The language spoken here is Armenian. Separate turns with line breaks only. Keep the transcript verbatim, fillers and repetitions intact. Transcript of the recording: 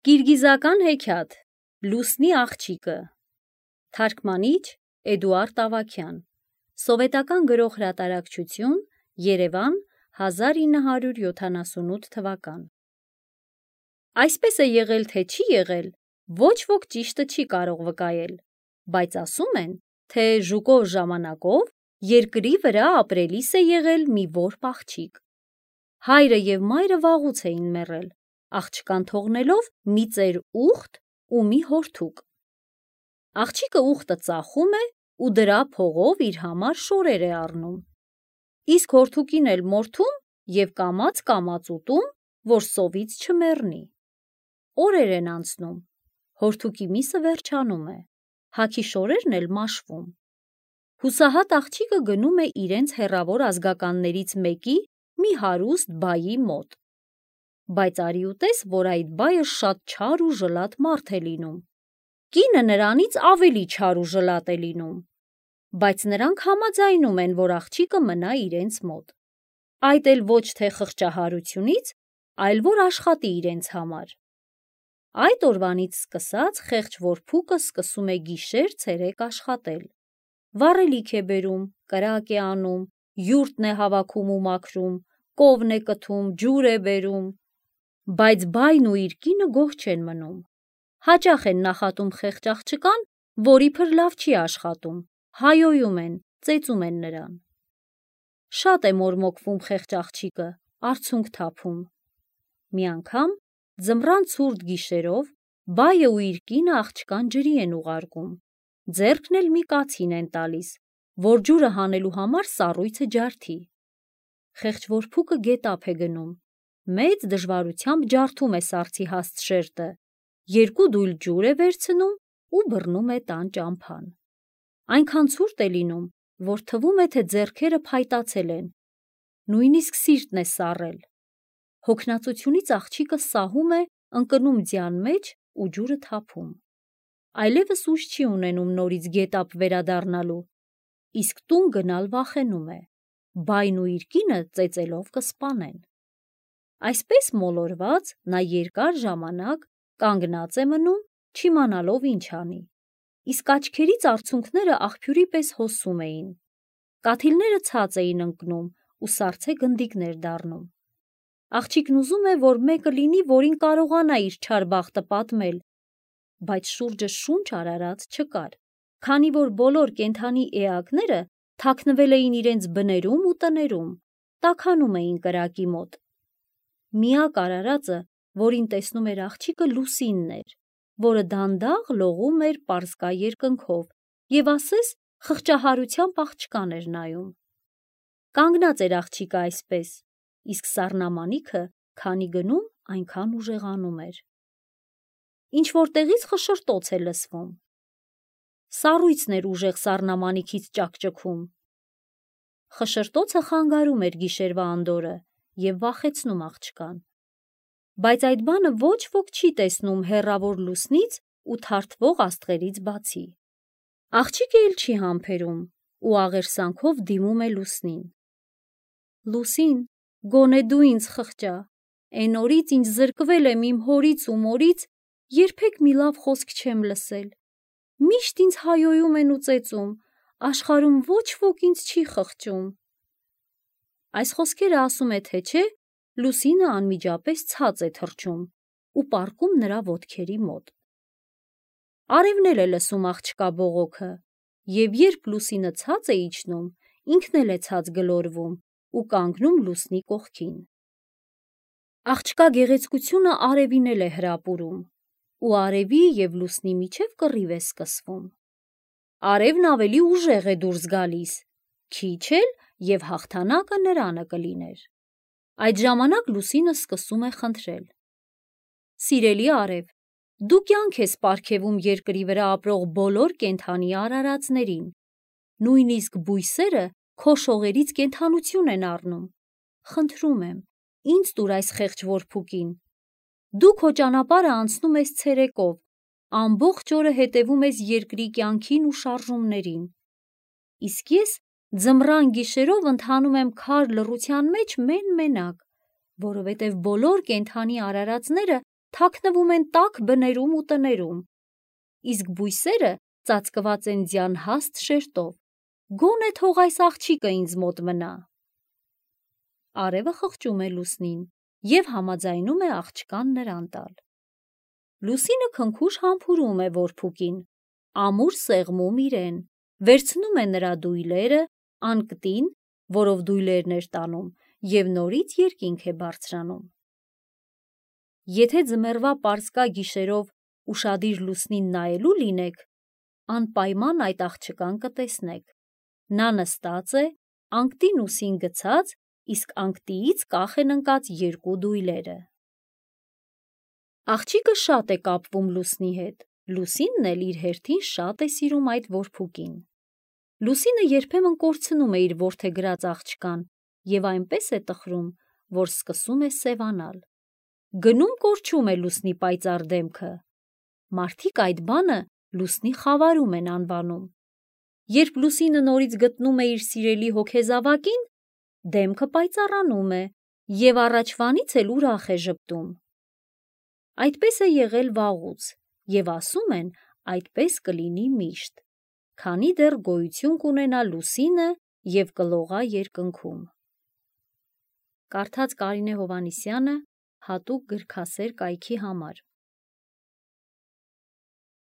Կիրգիզական հեքիաթ Լուսնի աղջիկը Թարգմանիչ Էդուարդ Ավագյան Սովետական գրող հրատարակչություն Երևան հազար ինը հարյուր յոթանասունութ թվական Այսպես է եղել թե չի եղել, ոչ ոք ճիշտը չի կարող վկայել, բայց ասում են, թե ժուկով ժամանակով երկրի վրա ապրելիս է եղել մի որբ աղջիկ։ Հայրը և մայրը վաղուց էին մեռել, աղջկան թողնելով մի ծեր ուղտ ու մի հորթուկ։ Աղջիկը ուղտը ծախում է ու դրա փողով իր համար շորեր է առնում, իսկ հորթուկին էլ մորթում և կամաց-կամաց ուտում, որ սովից չմեռնի։ Օրեր են անցնում, հորթուկի միսը վերջանում է, հագի շորերն էլ մաշվում։ Հուսահատ աղջիկը գնում է իրենց հեռավոր ազգականներից մեկի մի հարուստ բայի մոտ։ Բայց արի ու տես, որ այդ բայը շատ չար ու ժլատ մարդ է լինում։ Կինը նրանից ավելի չար ու ժլատ է լինում, բայց նրանք համաձայնում են, որ աղջիկը մնա իրենց մոտ։ Այդ էլ ոչ թե խղճահարությունից, այլ որ աշխատի իրենց համար։ Այդ օրվանից սկսած խեղճ որբուկը սկսում է գիշեր-ցերեկ աշխատել։ Վառելիք է բերում, կրակ է անում, յուրտն է հավաքում ու մաքրում, կովն է կթում, ջուր է բերում, բայց բայն ու իր կինը գոհ չեն մնում։ Հաճախ են նախատում խեղճ աղջկան, որ իբր լավ չի աշխատում, հայոյում են, ծեծում են նրան։ Շատ է մորմոքվում խեղճ աղջիկը, արցունք թափում։ Մի անգամ ձմռան ցուրտ գիշերով բայը ու իր կինը աղջկան ջրի են ուղարկում, ձեռքն էլ մի կացին են տալիս, որ ջուրը հանելու համար սառույցը ջարդի։ Խեղճ որբուկը գետափ է գնում, մեծ դժվարությամբ ջարդում է սառցի հաստ շերտը, երկու դույլ ջուր է վերցնում ու բռնում է տան ճամփան։ Այնքան ցուրտ է լինում, որ թվում է, թե ձեռքերը փայտացել են, նույնիսկ սիրտն է սառել։ Հոգնածությունից աղջիկը սահում է, ընկնում ձյան մեջ ու ջուրը թափում։ Այլևս ուժ չի ունենում նորից գետափ վերադառնալու, իսկ տուն գնալ վախենում է, բայն ու իր կինը ծեծելով կսպանեն։ Այսպես մոլորված նա երկար ժամանակ կանգնած է մնում, չիմանալով ինչ անի, իսկ աչքերից արցունքները աղբյուրի պես հոսում էին, կաթիլները ցած էին ընկնում ու սառցե գնդիկներ դառնում։ Աղջիկն ուզում է, որ մեկը լինի, որին կարողանա իր չար բախտը պատմել, բայց շուրջը շունչ արարած չկար, քանի որ բոլոր կենդանի էակները թաքնվել էին իրենց բներում ու տներում, տաքանում էին կրակի մոտ։ Միակ արարածը, որին տեսնում էր աղջիկը, Լուսինն էր, որը դանդաղ լողում էր պարսկա երկնքով և ասես խղճահարությամբ աղջկան էր նայում։ Կանգնած էր աղջիկը այսպես, իսկ սառնամանիքը քանի գնում, այնքան ուժեղանում էր։ Ինչ-որ տեղից խշշտոց է լսվում։ Սառույցն էր ուժեղ սառնամանիքից ճաքճքում։ Խշշտոցը խանգարում էր գիշերվա անդորրը և վախեցնում աղջկան։ Բայց այդ բանը ոչ ոք չի տեսնում հեռավոր լուսնից ու թարթվող աստղերից բացի։ Աղջիկը էլ չի համբերում ու աղերսանքով դիմում է լուսնին։ Լուսին, գոնե դու ինձ խղճա, էն օրից ինչ զրկվել եմ իմ հորից ու մորից, երբեք մի լավ խոսք չեմ լսել, միշտ ինձ հայոյում են ու ծեծում, աշխարհում ոչ ոք ինձ չի խղճում։ Այս խոսքերը ասում է թե չէ, Լուսինը անմիջապես ցած է թռչում ու պառկում նրա ոտքերի մոտ։ Արևն էլ է լսում աղջկա բողոքը, և երբ Լուսինը ցած է իջնում, ինքն էլ է ցած գլորվում ու կանգնում Լուսնի կողքին։ Աղջկա գեղեցկությունը արևին էլ է հրապուրում, ու արևի և Լուսնի միջև կռիվ է սկսվում։ Արևն ավելի ուժեղ է դուրս գալիս, քիչ էլ և հաղթանակը նրանը կլիներ։ Այդ ժամանակ Լուսինը սկսում է խնդրել. Սիրելի արև, դու կյանք ես պարգևում երկրի վրա ապրող բոլոր կենդանի արարածներին, նույնիսկ բույսերը քո շողերից կենդանություն են առնում։ Խնդրում եմ, ինձ տուր այս խեղճ որբուկին։ Դու քո ճանապարհը անցնում ես ցերեկով, ամբողջ օրը հետևում ես երկրի կյանքին ու շարժումներին, իսկ ես ձմռան գիշերով ընթանում եմ քար լռության մեջ մեն-մենակ, որովհետև բոլոր կենդանի արարածները թաքնվում են տաք բներում ու տներում, իսկ բույսերը ծածկված են ձյան հաստ շերտով, գոնե թող այս աղջիկը ինձ մոտ մնա։ Արևը խղճում է Լուսնին և համաձայնում է աղջկան նրան տալ։ Լուսինը քնքուշ համբուրում է որբուկին, ամուր սեղմում իրեն, վերցնում է նրա դույլերը, անկտին, որով դույլերն էր տանում, և նորից երկինք է բարձրանում։ Եթե ձմեռվա պարսկա գիշերով ուշադիր Լուսնին նայելու լինեք, անպայման այդ աղջկան կտեսնեք։ Նա նստած է, անկտին ուսին գցած, իսկ անկտիից կախ են ընկած երկու դույլերը։ Աղջիկը շատ է կապվում Լուսնի հետ, Լուսինն էլ իր հերթին շատ է սիրում այդ որբուկին։ Լուսինը երբեմն կորցնում է իր որդեգրած աղջկան և այնպես է տխրում, որ սկսում է սևանալ։ Գնում կորչում է Լուսնի պայծառ դեմքը։ Մարդիկ այդ բանը Լուսնի խավարում են անվանում։ Երբ Լուսինը նորից գտնում է իր սիրելի հոգեզավակին, դեմքը պայծառանում է և առաջվանից էլ ուրախ է ժպտում։ Այդպես է եղել վաղուց և ասում են այդպես կլինի միշտ, քանի դեռ գոյություն կունենա Լուսինը և կլողա երկնքում։ Կարդաց Կարինե Հովհաննիսյանը հատուկ գրքասեր կայքի համար։